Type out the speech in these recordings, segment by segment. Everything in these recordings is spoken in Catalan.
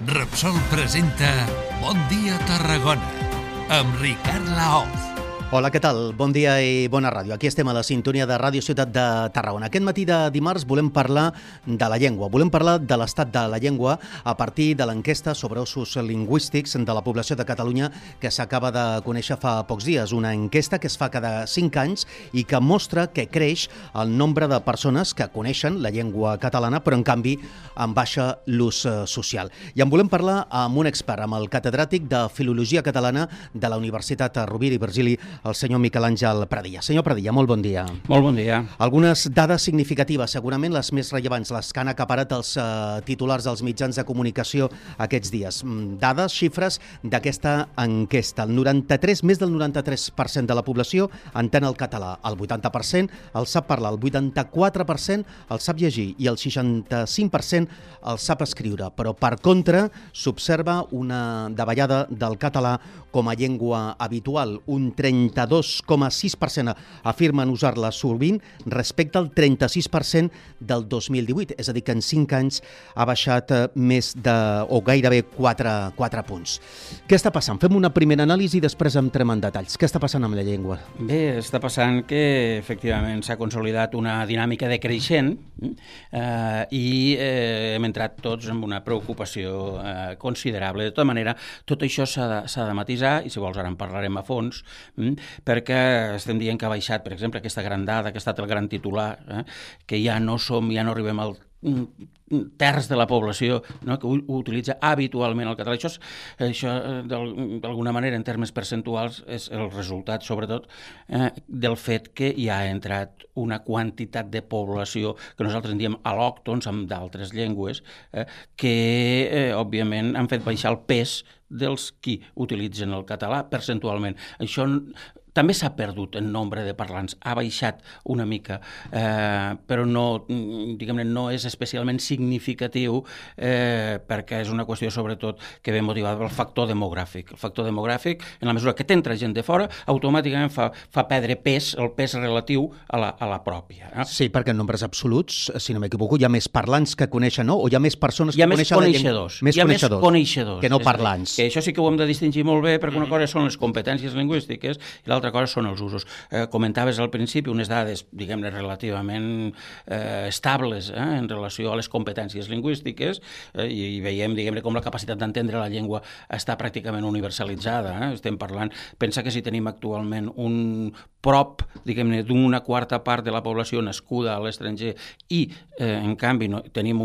Repsol presenta Bon dia Tarragona amb Ricard Laoz. Hola, què tal? Bon dia i bona ràdio. Aquí estem a la sintonia de Ràdio Ciutat de Tarragona. Aquest matí de dimarts volem parlar de la llengua. Volem parlar de l'estat de la llengua a partir de l'enquesta sobre usos lingüístics de la població de Catalunya que s'acaba de conèixer fa pocs dies. Una enquesta que es fa cada 5 anys i que mostra que creix el nombre de persones que coneixen la llengua catalana, però en canvi en baixa l'ús social. I en volem parlar amb un expert, amb el catedràtic de Filologia Catalana de la Universitat Rovira i Virgili, el senyor Miquel Àngel Pradilla. Senyor Pradilla, molt bon dia. Molt bon dia. Algunes dades significatives, segurament les més rellevants, les que han acaparat els titulars dels mitjans de comunicació aquests dies. Dades, xifres d'aquesta enquesta. Més del 93% de la població entén el català, el 80% el sap parlar, el 84% el sap llegir i el 65% el sap escriure. Però, per contra, s'observa una davallada del català com a llengua habitual. Un 32,6% afirmen usar-la sovint respecte al 36% del 2018. És a dir, que en 5 anys ha baixat més de, o gairebé 4 punts. Què està passant? Fem una primera anàlisi i després entrem en detalls. Què està passant amb la llengua? Bé, està passant que efectivament s'ha consolidat una dinàmica decreixent i hem entrat tots en una preocupació considerable. De tota manera, tot això s'ha de matisar i si vols ara en parlarem a fons, perquè estem dient que ha baixat, per exemple, aquesta gran dada, que ha estat el gran titular, que ja no arribem al terç de la població, no, que utilitza habitualment el català. Això d'alguna manera, en termes percentuals, és el resultat, sobretot, del fet que hi ha entrat una quantitat de població que nosaltres en diem al·lòctons, amb d'altres llengües, que, òbviament, han fet baixar el pes dels qui utilitzen el català percentualment. Això també s'ha perdut en nombre de parlants, ha baixat una mica, però no, diguem-ne, no és especialment significatiu perquè és una qüestió sobretot que ve motivada pel factor demogràfic. El factor demogràfic, en la mesura que t'entra gent de fora, automàticament fa perdre pes, el pes relatiu a la pròpia. Sí, perquè en nombres absoluts, si no m'equivoco, hi ha més parlants que coneixen, no? O hi ha més persones que coneixen la llengua? Hi ha més coneixedors. Que no parlants. Que això sí que ho hem de distingir molt bé, perquè una cosa són les competències lingüístiques i l'altra cosa són els usos. Comentaves al principi unes dades, diguem-ne, relativament estables en relació a les competències lingüístiques i veiem, diguem-ne, com la capacitat d'entendre la llengua està pràcticament universalitzada. Estem parlant, pensa que si tenim actualment un prop, diguem-ne, d'una quarta part de la població nascuda a l'estranger i, en canvi, tenim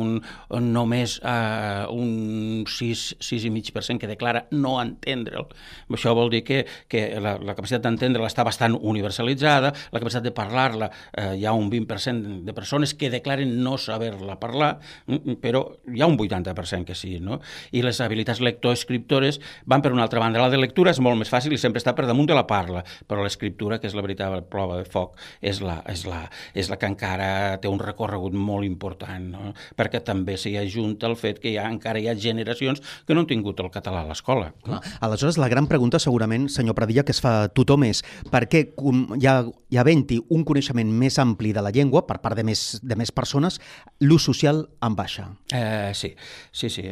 només un 6,5% que declara no entendre'l. Això vol dir que la capacitat d'entendre-la està bastant universalitzada, la capacitat de parlar-la hi ha un 20% de persones que declaren no saber-la parlar, però hi ha un 80% que sí, no? I les habilitats lectoescriptores van per una altra banda. La de lectura és molt més fàcil i sempre està per damunt de la parla, però l'escriptura, que és la veritable prova de foc, és la que encara té un recorregut molt important, no? Perquè també s'hi ajunta el fet que encara hi ha generacions que no han tingut el català a l'escola. Aleshores, la gran pregunta segurament, senyor Pradilla, que es fa tothom és per què hi havent-hi un coneixement més ampli de la llengua per part de més persones, l'ús social en baixa? Sí,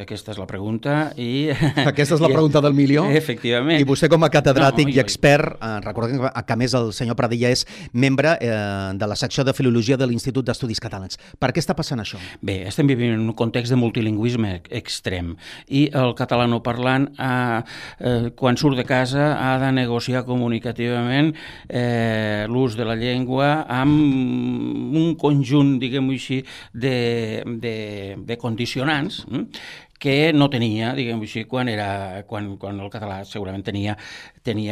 aquesta és la pregunta. Aquesta és la pregunta del milió? Efectivament. I vostè com a catedràtic i expert, recordem que a més el senyor Pradilla és membre de la secció de Filologia de l'Institut d'Estudis Catalans. Per què està passant això? Bé, estem vivint en un context de multilingüisme extrem i el catalanoparlant quan surt de casa ha de negociar comunicativament l'ús de la llengua amb un conjunt, diguem-ho així, de condicionants que no tenia, diguem-ho així, quan el català segurament tenia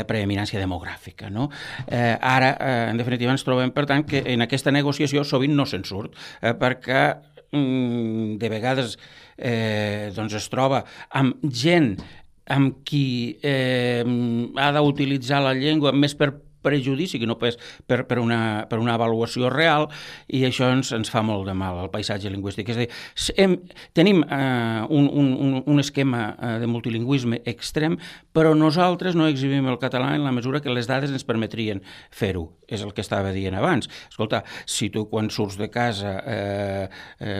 preeminència demogràfica, no? Ara, en definitiva, ens trobem, per tant, que en aquesta negociació sovint no se'n surt, perquè de vegades es troba amb gent amb qui ha d'utilitzar la llengua més per prejudici que no per una avaluació real, i això ens fa molt de mal al paisatge lingüístic. És a dir, tenim un esquema de multilingüisme extrem, però nosaltres no exhibim el català en la mesura que les dades ens permetrien fer-ho. És el que estava dient abans. Escolta, si tu quan surts de casa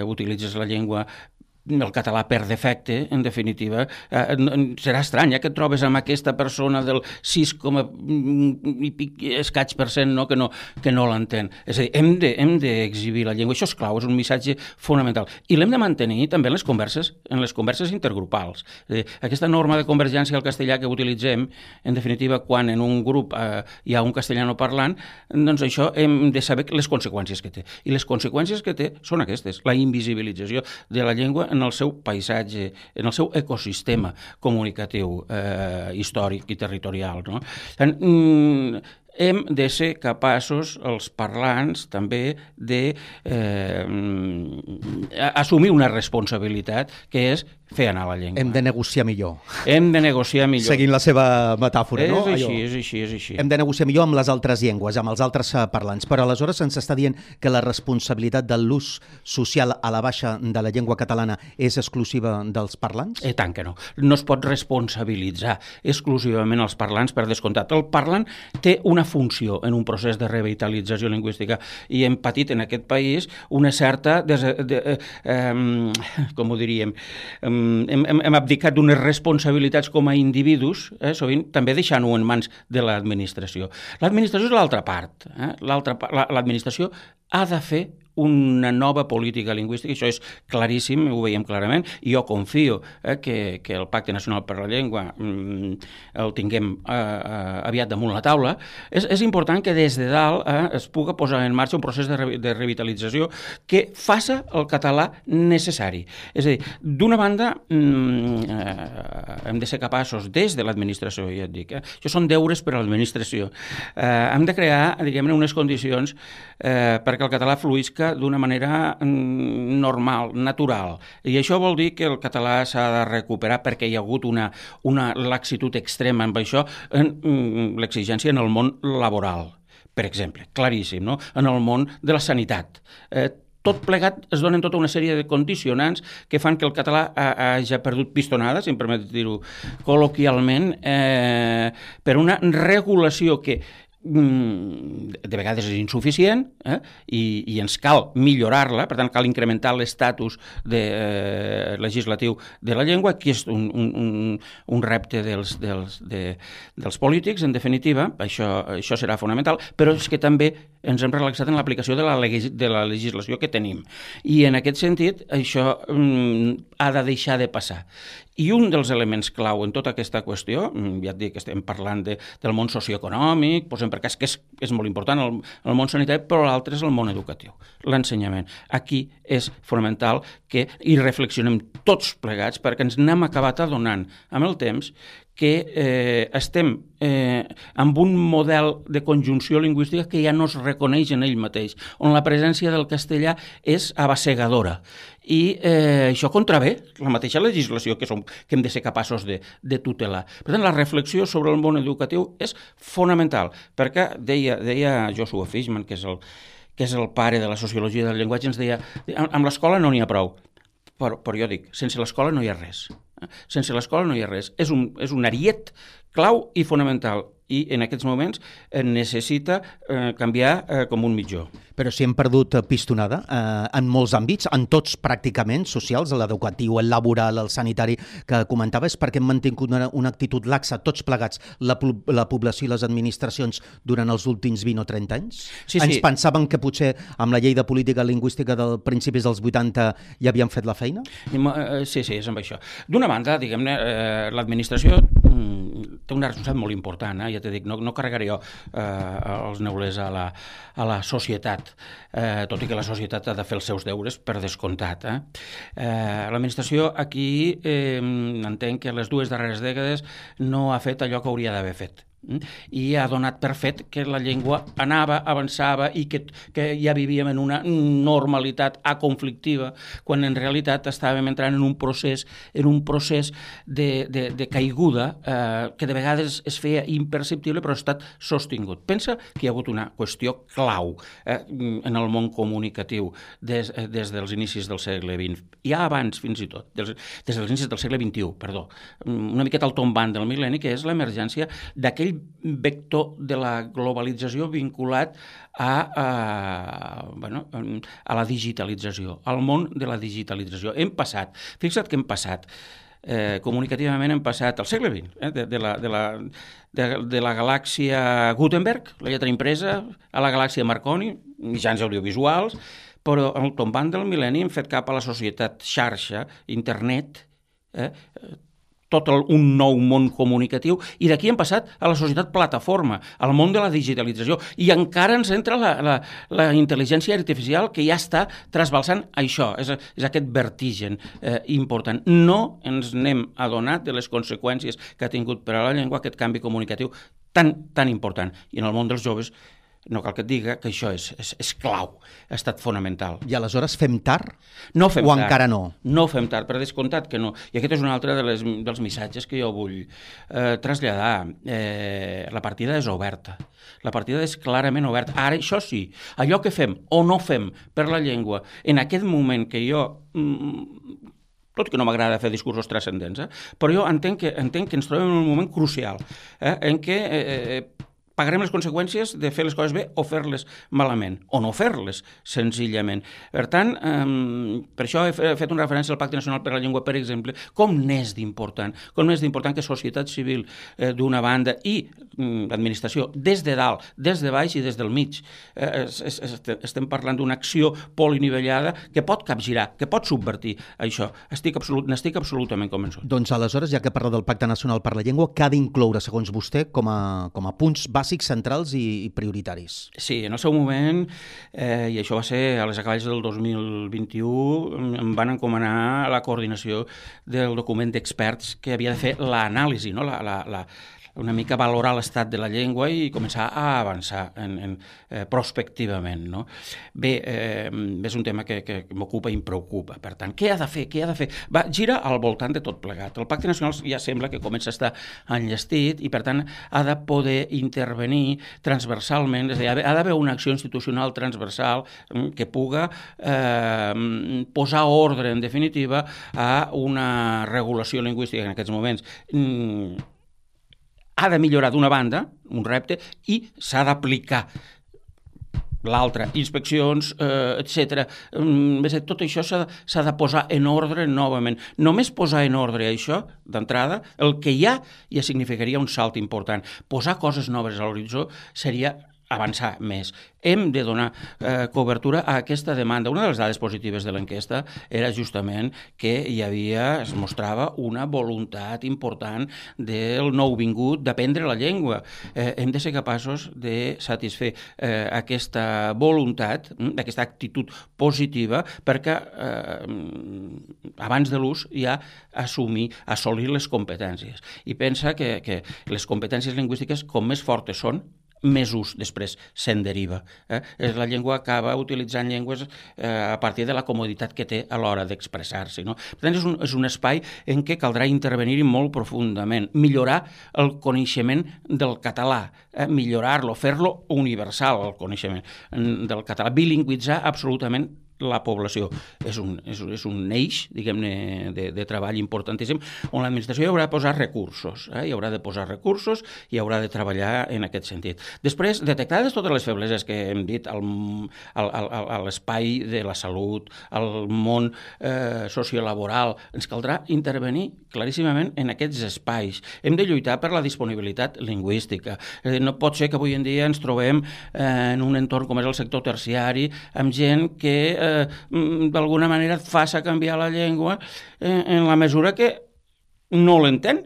utilitzes la llengua el català per defecte, en definitiva, serà estrany que et trobes amb aquesta persona del 6, i pic escaig % que no l'entén. És a dir, hem d'exhibir la llengua. Això és clau, és un missatge fonamental. I l'hem de mantenir també en les converses intergrupals. És a dir, aquesta norma de convergència al castellà que utilitzem, en definitiva, quan en un grup hi ha un castellano parlant, doncs això hem de saber les conseqüències que té. I les conseqüències que té són aquestes, la invisibilització de la llengua en el seu paisatge, en el seu ecosistema comunicatiu, històric i territorial. No? Hem de ser capaços, els parlants, també d'assumir una responsabilitat, que és fer anar la llengua. Hem de negociar millor. Hem de negociar millor. Seguint la seva metàfora, no? És així. Hem de negociar millor amb les altres llengües, amb els altres parlants. Però aleshores se'ns està dient que la responsabilitat de l'ús social a la baixa de la llengua catalana és exclusiva dels parlants? Tant que no. No es pot responsabilitzar exclusivament els parlants, per descomptat. El parlant té una funció en un procés de revitalització lingüística i hem patit en aquest país una certa, com ho diríem, hem abdicat d'unes responsabilitats com a individus, sovint també deixant-ho en mans de l'administració. L'administració és l'altra part. L'administració ha de fer una nova política lingüística, això és claríssim, ho veiem clarament, i jo confio que el Pacte Nacional per la Llengua el tinguem aviat damunt la taula. És important que des de dalt es pugui posar en marxa un procés de revitalització que faça el català necessari. És a dir, d'una banda, hem de ser capaços, des de l'administració, ja et dic, això són deures per a l'administració, hem de crear, diguem-ne, unes condicions perquè el català fluïsca d'una manera normal, natural. I això vol dir que el català s'ha de recuperar perquè hi ha hagut una laxitud extrema amb això, l'exigència en el món laboral, per exemple, claríssim, no? En el món de la sanitat. Tot plegat es donen tota una sèrie de condicionants que fan que el català hagi perdut pistonada, si em permet dir-ho col·loquialment, per una regulació que de vegades és insuficient i ens cal millorar-la, per tant cal incrementar l'estatus legislatiu de la llengua, que és un repte dels polítics, en definitiva, això serà fonamental, però és que també ens hem relaxat en l'aplicació de la legislació que tenim. I en aquest sentit, això ha de deixar de passar. I un dels elements clau en tota aquesta qüestió, ja et dic que estem parlant del món socioeconòmic, posem per cas que és molt important el món sanitari, però l'altre és el món educatiu, l'ensenyament. Aquí és fonamental que hi reflexionem tots plegats perquè ens n'hem acabat adonant amb el temps que estem amb un model de conjunció lingüística que ja no es reconeix en ell mateix, on la presència del castellà és abassegadora. I això contravé la mateixa legislació que hem de ser capaços de tutelar. Per tant, la reflexió sobre el món educatiu és fonamental, perquè deia Joshua Fishman, que és el pare de la sociologia del llenguatge, ens deia, amb l'escola no n'hi ha prou, però jo dic, sense l'escola no hi ha res. Sense l'escola no hi ha res. És un ariet clau i fonamental i en aquests moments necessita canviar com un mitjó. Però si hem perdut pistonada en molts àmbits, en tots pràcticament, socials, l'educatiu, el laboral, el sanitari, que comentaves, perquè hem mantingut una actitud laxa, tots plegats, la població i les administracions durant els últims 20 o 30 anys? Sí. Ens pensaven que potser amb la llei de política lingüística dels principis dels 80 ja havien fet la feina? Sí, és amb això. D'una banda, diguem-ne, l'administració té una responsabilitat molt important, ja t'he dit, no carregaré jo els neulers a la societat, tot i que la societat ha de fer els seus deures per descomptat. L'administració aquí entenc que les 2 darreres dècades no ha fet allò que hauria d'haver fet. I ha donat per fet que la llengua anava, avançava i que ja vivíem en una normalitat aconflictiva, quan en realitat estàvem entrant en un procés de caiguda que de vegades es feia imperceptible però ha estat sostingut. Pensa que hi ha hagut una qüestió clau en el món comunicatiu des dels inicis del segle XX, ja abans fins i tot, des dels inicis del segle XXI, perdó, una miqueta al tombant del mil·lenni, que és l'emergència d'aquell aquell vector de la globalització vinculat a la digitalització, al món de la digitalització. Fixa't que hem passat, comunicativament hem passat al segle XX, de la galàxia Gutenberg, la lletra impresa, a la galàxia Marconi, mitjans audiovisuals, però al tombant del mil·lenni hem fet cap a la societat xarxa, internet, un nou món comunicatiu, i d'aquí hem passat a la societat plataforma, al món de la digitalització, i encara ens entra la intel·ligència artificial que ja està trasbalsant això, és aquest vertigen important. No ens n'hem adonat de les conseqüències que ha tingut per a la llengua aquest canvi comunicatiu tan important, i en el món dels joves no cal que et diga que això és clau, ha estat fonamental. I aleshores fem tard? No fem o tard. Encara no? No fem tard, per descomptat que no. I aquest és un altre dels missatges que jo vull traslladar. La partida és oberta. La partida és clarament oberta. Ara, això sí, allò que fem o no fem per la llengua, en aquest moment que jo... tot que no m'agrada fer discursos transcendents, però jo entenc que ens trobem en un moment crucial, en què pagarem les conseqüències de fer les coses bé o fer-les malament, o no fer-les, senzillament. Per tant, per això he fet una referència al Pacte Nacional per la Llengua, per exemple, com n'és d'important que societat civil d'una banda i l'administració des de dalt, des de baix i des del mig. Estem parlant d'una acció polinivellada que pot capgirar, que pot subvertir això. N'estic absolutament convençut. Doncs aleshores, ja que parla del Pacte Nacional per la Llengua, què ha d'incloure, segons vostè, com a punts bàsics, centrals i prioritaris? Sí, en el seu moment, i això va ser a les acaballes del 2021, em van encomanar la coordinació del document d'experts que havia de fer l'anàlisi, no? Una mica valorar l'estat de la llengua i començar a avançar prospectivament. No? Bé, és un tema que m'ocupa i em preocupa. Per tant, què ha de fer? Gira al voltant de tot plegat. El Pacte Nacional ja sembla que comença a estar enllestit i, per tant, ha de poder intervenir transversalment, és a dir, ha d'haver una acció institucional transversal que puga posar ordre, en definitiva, a una regulació lingüística en aquests moments ha de millorar d'una banda, un repte, i s'ha d'aplicar l'altra, inspeccions, etc. Tot això s'ha de posar en ordre novament. Només posar en ordre això, d'entrada, el que ja significaria un salt important. Posar coses noves a l'horitzó seria avançar més. Hem de donar cobertura a aquesta demanda. Una de les dades positives de l'enquesta era justament que es mostrava una voluntat important del nouvingut d'aprendre la llengua. Hem de ser capaços de satisfer aquesta voluntat, aquesta actitud positiva, perquè abans de l'ús ja assolir les competències. I pensa que les competències lingüístiques, com més fortes són, més ús després se'n deriva. La llengua acaba utilitzant llengües a partir de la comoditat que té a l'hora d'expressar-se. No? Per tant, és un espai en què caldrà intervenir-hi molt profundament, millorar el coneixement del català, millorar-lo, fer-lo universal, el coneixement del català, bilingüitzar absolutament la població. És un eix, diguem-ne, de treball importantíssim, on l'administració hi haurà de posar recursos, hi haurà de posar recursos i haurà de treballar en aquest sentit. Després, detectades totes les febleses que hem dit a l'espai de la salut, al món sociolaboral, ens caldrà intervenir claríssimament en aquests espais. Hem de lluitar per la disponibilitat lingüística. No pot ser que avui en dia ens trobem en un entorn com és el sector terciari, amb gent que d'alguna manera et faça canviar la llengua en la mesura que no l'entén.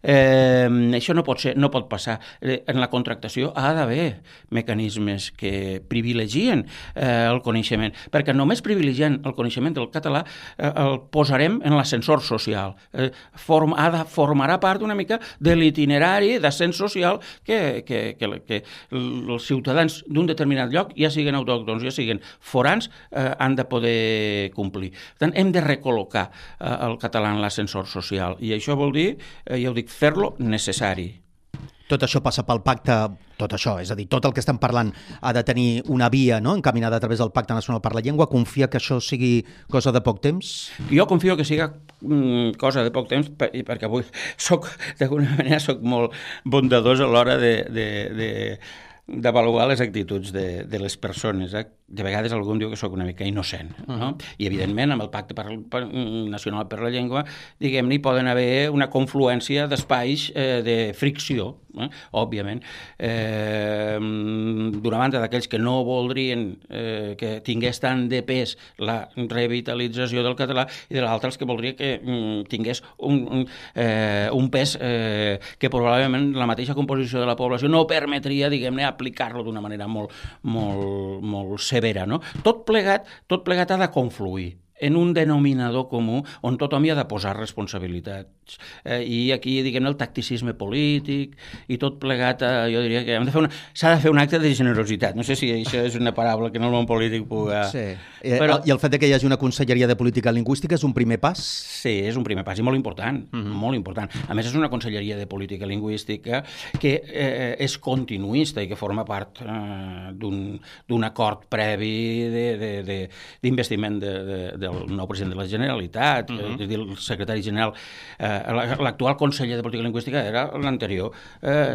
Això no pot passar. En la contractació ha d'haver mecanismes que privilegien el coneixement, perquè només privilegiant el coneixement del català el posarem en l'ascensor social. Formarà part una mica de l'itinerari d'ascens social que els ciutadans d'un determinat lloc, ja siguin autòctons, ja siguin forans, han de poder complir. Per tant, hem de recol·locar el català en l'ascensor social, i això vol dir, ja ho dic, fer-lo necessari. Tot això passa pel pacte, tot això, és a dir, tot el que estem parlant ha de tenir una via, no?, encaminada a través del Pacte Nacional per la Llengua. Confia que això sigui cosa de poc temps? Jo confio que siga cosa de poc temps, i perquè avui d'alguna manera soc molt bondadós a l'hora d'avaluar les actituds de les persones. De vegades algú em diu que sóc una mica innocent, no? I evidentment amb el Pacte Nacional per la Llengua, diguem-ne, hi poden haver una confluència d'espais de fricció, òbviament. D'una banda, d'aquells que no voldrien que tingués tant de pes la revitalització del català, i de l'altre els que voldria que tingués un pes que probablement la mateixa composició de la població no permetria, diguem-ne, aplicar-lo d'una manera molt severa, no? Tot plegat ha de confluir en un denominador comú on tothom hi ha de posar responsabilitats. I aquí, diguem-ne, el tacticisme polític i tot plegat, jo diria que s'ha de fer un acte de generositat. No sé si això és una paraula que en el món polític puga... Sí. Però... I el fet que hi hagi una conselleria de política lingüística és un primer pas? Sí, és un primer pas i molt important, molt important. A més, és una conselleria de política lingüística que és continuista i que forma part d'un acord previ d'investiment del nou president de la Generalitat, és a dir, el secretari general, l'actual conseller de Política Lingüística era l'anterior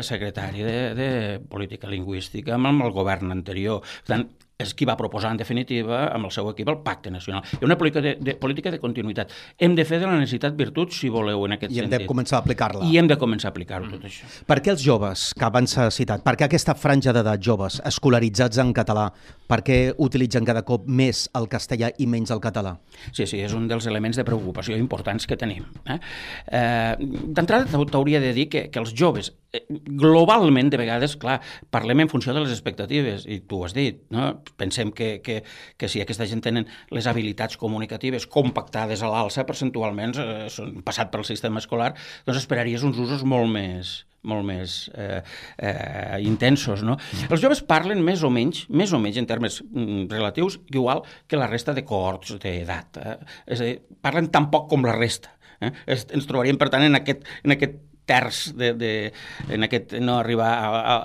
secretari de Política Lingüística amb el govern anterior. Per tant, és qui va proposar, en definitiva, amb el seu equip, el Pacte Nacional. Hi ha una política de continuïtat. Hem de fer de la necessitat virtut, si voleu, en aquest sentit. I hem de començar a aplicar-la. I hem de començar a aplicar-ho, tot això. Per què els joves, que abans s'ha citat, per què aquesta franja d'edat joves, escolaritzats en català, per què utilitzen cada cop més el castellà i menys el català? Sí, és un dels elements de preocupació importants que tenim. D'entrada, t'hauria de dir que els joves, globalment, de vegades, clar, parlem en funció de les expectatives, i tu ho has dit, no? Pensem que si aquesta gent tenen les habilitats comunicatives compactades a l'alça, percentualment, passat pel sistema escolar, doncs esperaries uns usos molt més intensos, no? Els joves parlen més o menys en termes relatius, igual que la resta de cohorts d'edat. És a dir, parlen tan poc com la resta. Ens trobaríem, per tant, en aquest terç en aquest no arribar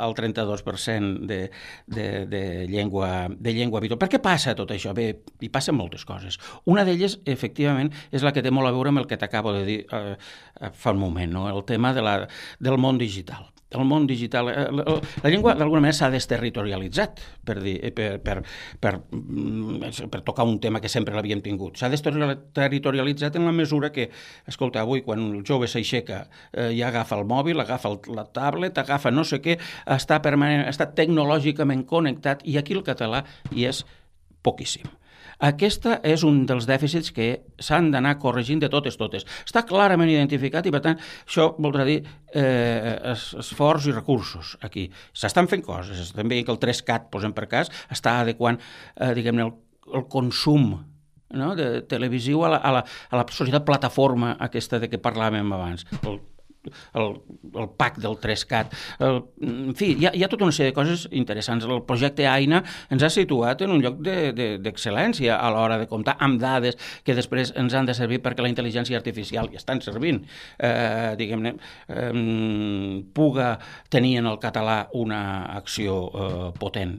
al 32% de llengua habitual. Per què passa tot això? Bé, hi passen moltes coses. Una d'elles, efectivament, és la que té molt a veure amb el que t'acabo de dir fa un moment, no? El tema del món digital. El món digital, la llengua d'alguna manera s'ha desterritorialitzat, per tocar un tema que sempre l'havíem tingut. S'ha desterritorialitzat en la mesura que, escolta, avui quan el jove s'aixeca ja agafa el mòbil, agafa la tablet, agafa no sé què, està tecnològicament connectat, i aquí el català hi és poquíssim. Aquesta és un dels dèficits que s'han d'anar corregint de totes. Està clarament identificat i, per tant, això voldrà dir esforç i recursos aquí. S'estan fent coses. Estem veient que el 3CAT, posem per cas, està adequant, diguem-ne, el consum, no?, de televisiu a la societat plataforma aquesta de què parlàvem abans. El PAC del 3CAT. En fi, hi ha tota una sèrie de coses interessants. El projecte AINA ens ha situat en un lloc d'excel·lència a l'hora de comptar amb dades que després ens han de servir perquè la intel·ligència artificial ja estan servint. Diguem-ne, puga tenir en el català una acció potent.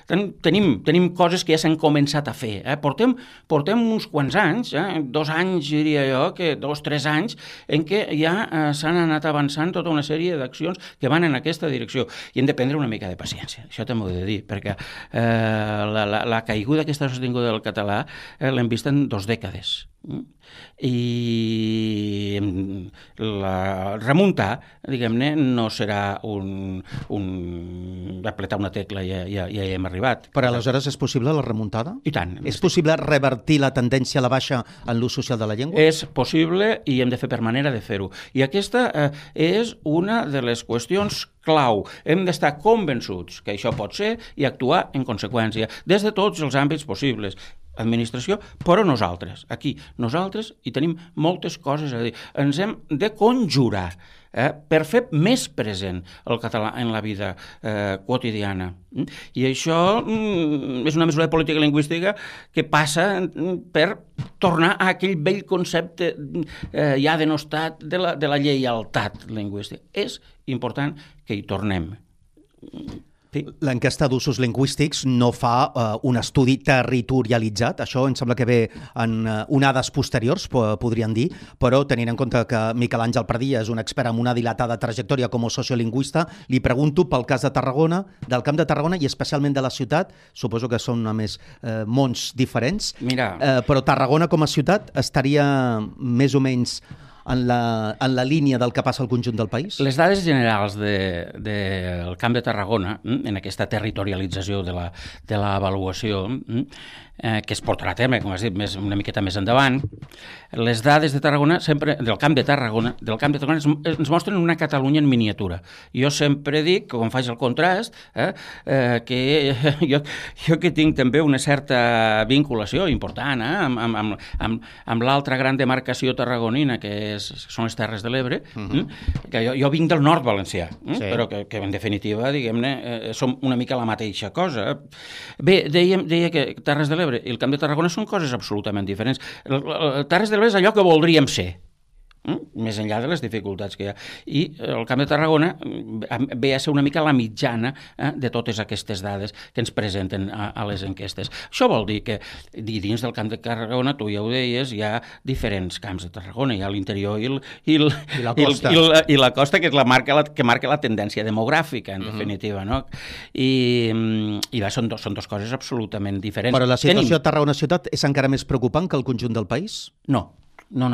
Tenim coses que ja s'han començat a fer. Portem uns quants anys, 2 anys, diria jo, 2-3 anys, en què ja s'han anat avançant tota una sèrie d'accions que van en aquesta direcció. I hem de prendre una mica de paciència, això també ho he de dir, perquè la caiguda aquesta sostinguda del català l'hem vist en 2 dècades. I remuntar, diguem-ne, no serà apretar una tecla i ja hi hem arribat. Però aleshores és possible la remuntada? I tant. És possible revertir la tendència a la baixa en l'ús social de la llengua? És possible i hem de fer per manera de fer-ho. I aquesta és una de les qüestions clau. Hem d'estar convençuts que això pot ser i actuar en conseqüència, des de tots els àmbits possibles. Administració, però nosaltres. Aquí, nosaltres hi tenim moltes coses a dir. Ens hem de conjurar per fer més present el català en la vida quotidiana. I això és una mesura de política lingüística que passa per tornar a aquell vell concepte ja denostat de la lleialtat lingüística. És important que hi tornem. Sí. L'enquesta d'usos lingüístics no fa un estudi territorialitzat, això em sembla que ve en onades posteriors, podríem dir, però tenint en compte que Miquel Àngel Pradilla és un expert amb una dilatada trajectòria com a sociolingüista, li pregunto pel cas de Tarragona, del Camp de Tarragona i especialment de la ciutat, suposo que són a més mons diferents, però Tarragona com a ciutat estaria més o menys en la línia del que passa al conjunt del país? Les dades generals del Camp de Tarragona, en aquesta territorialització de l'avaluació, que es portarà a terme, com has dit, una miqueta més endavant, les dades de Tarragona, sempre del Camp de Tarragona ens mostren una Catalunya en miniatura. Jo sempre dic, quan faig el contrast, que jo que tinc també una certa vinculació important amb l'altra gran demarcació tarragonina, que són les Terres de l'Ebre, que jo vinc del nord valencià, però que en definitiva, diguem-ne, som una mica la mateixa cosa. Bé, deia que Terres de l'Ebre i el Camp de Tarragona són coses absolutament diferents. Terres de l'Ebre és allò que voldríem ser, més enllà de les dificultats que hi ha. I el Camp de Tarragona ve a ser una mica la mitjana de totes aquestes dades que ens presenten a les enquestes. Això vol dir que dins del Camp de Tarragona, tu ja ho deies, hi ha diferents camps de Tarragona. Hi ha l'interior i la costa, que és que marca la tendència demogràfica, en definitiva. No? I són dos coses absolutament diferents. Però la situació a Tarragona ciutat és encara més preocupant que el conjunt del país? No. No,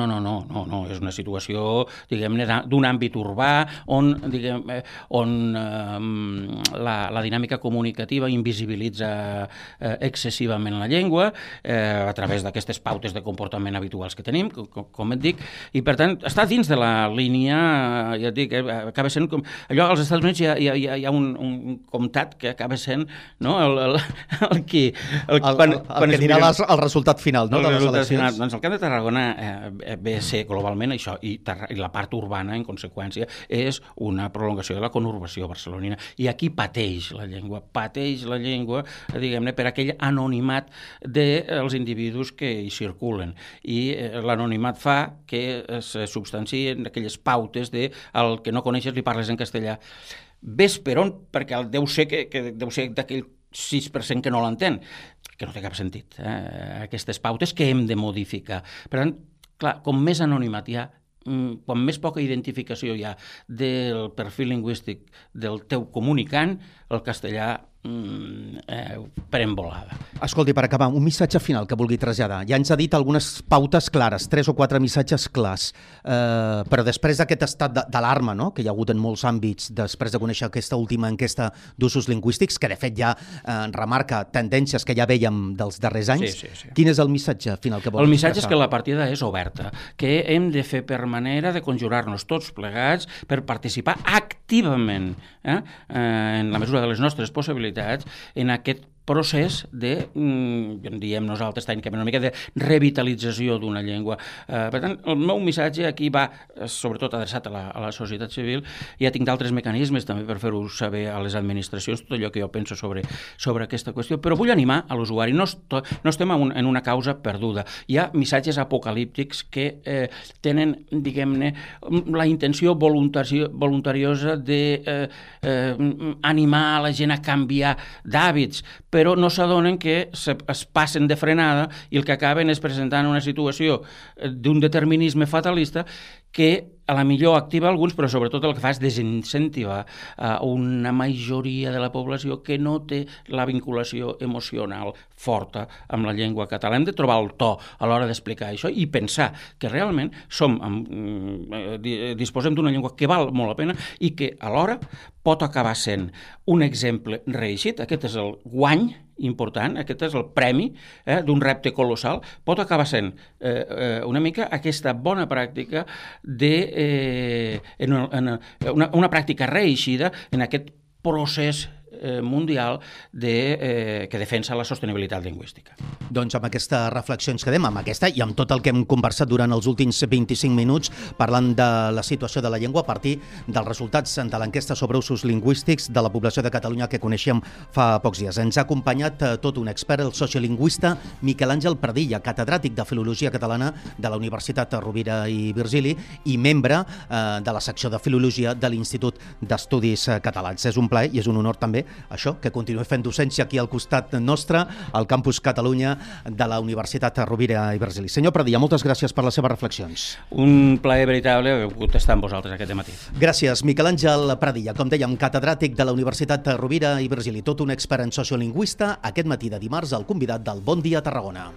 és una situació, diguem-ne, d'un àmbit urbà on la dinàmica comunicativa invisibilitza excessivament la llengua a través d'aquestes pautes de comportament habituals que tenim, com et dic, i per tant està dins de la línia, ja et dic, acaba sent com... Allò als Estats Units hi ha un comtat que acaba sent el que dirà el resultat final, no? El resultat final. Doncs el Camp de Tarragona ve a ser globalment això, i la part urbana, en conseqüència, és una prolongació de la conurbació barcelonina. I aquí pateix la llengua, diguem-ne, per aquell anonimat dels individus que hi circulen. I l'anonimat fa que es substancien aquelles pautes de el que no coneixes li parles en castellà. Ves per on, perquè deu ser d'aquell 6% que no l'entén, que no té cap sentit, aquestes pautes que hem de modificar. Per tant, clar, com més anonimat hi ha, quan més poca identificació hi ha del perfil lingüístic del teu comunicant, el castellà pren volada. Escolti, per acabar, un missatge final que vulgui traslladar. Ja ens ha dit algunes pautes clares, 3 o 4 missatges clars, però després d'aquest estat d'alarma, no?, que hi ha hagut en molts àmbits, després de conèixer aquesta última enquesta d'usos lingüístics, que de fet ja remarca tendències que ja vèiem dels darrers anys, quin és el missatge final que vol expressar? El missatge és que la partida és oberta, que hem de fer per manera de conjurar-nos tots plegats per participar activament, en la mesura de les nostres possibilitats, en aquest procés de, diem nosaltres tècnicament, una mica de revitalització d'una llengua. Per tant, el meu missatge aquí va sobretot adreçat a la societat civil. Ja tinc d'altres mecanismes també per fer-ho saber a les administracions, tot allò que jo penso sobre aquesta qüestió, però vull animar a l'usuari. No estem en una causa perduda. Hi ha missatges apocalíptics que tenen, diguem-ne, la intenció voluntariosa d'animar a la gent a canviar d'hàbits, però no s'adonen que es passen de frenada i el que acaben és presentant una situació d'un determinisme fatalista que a la millor activa alguns, però sobretot el que fa és desincentivar una majoria de la població que no té la vinculació emocional forta amb la llengua catalana. Hem de trobar el to a l'hora d'explicar això i pensar que realment disposem d'una llengua que val molt la pena i que alhora pot acabar sent un exemple reeixit. Aquest és el guany important, aquest és el premi d'un repte colossal, pot acabar sent una mica aquesta bona pràctica una pràctica reeixida en aquest procés mundial que defensa la sostenibilitat lingüística. Doncs amb aquesta reflexió ens quedem, amb aquesta i amb tot el que hem conversat durant els últims 25 minuts parlant de la situació de la llengua a partir dels resultats de l'enquesta sobre usos lingüístics de la població de Catalunya que coneixíem fa pocs dies. Ens ha acompanyat tot un expert, el sociolingüista Miquel Àngel Pradilla, catedràtic de Filologia Catalana de la Universitat Rovira i Virgili i membre de la secció de Filologia de l'Institut d'Estudis Catalans. És un plaer i és un honor també això, que continuï fent docència aquí al costat nostre, al Campus Catalunya de la Universitat Rovira i Virgili. Senyor Pradilla, moltes gràcies per les seves reflexions. Un plaer veritable haver pogut estar amb vosaltres aquest matí. Gràcies, Miquel Àngel Pradilla, com dèiem, catedràtic de la Universitat Rovira i Virgili, tot un expert en sociolingüista, aquest matí de dimarts, el convidat del Bon Dia Tarragona.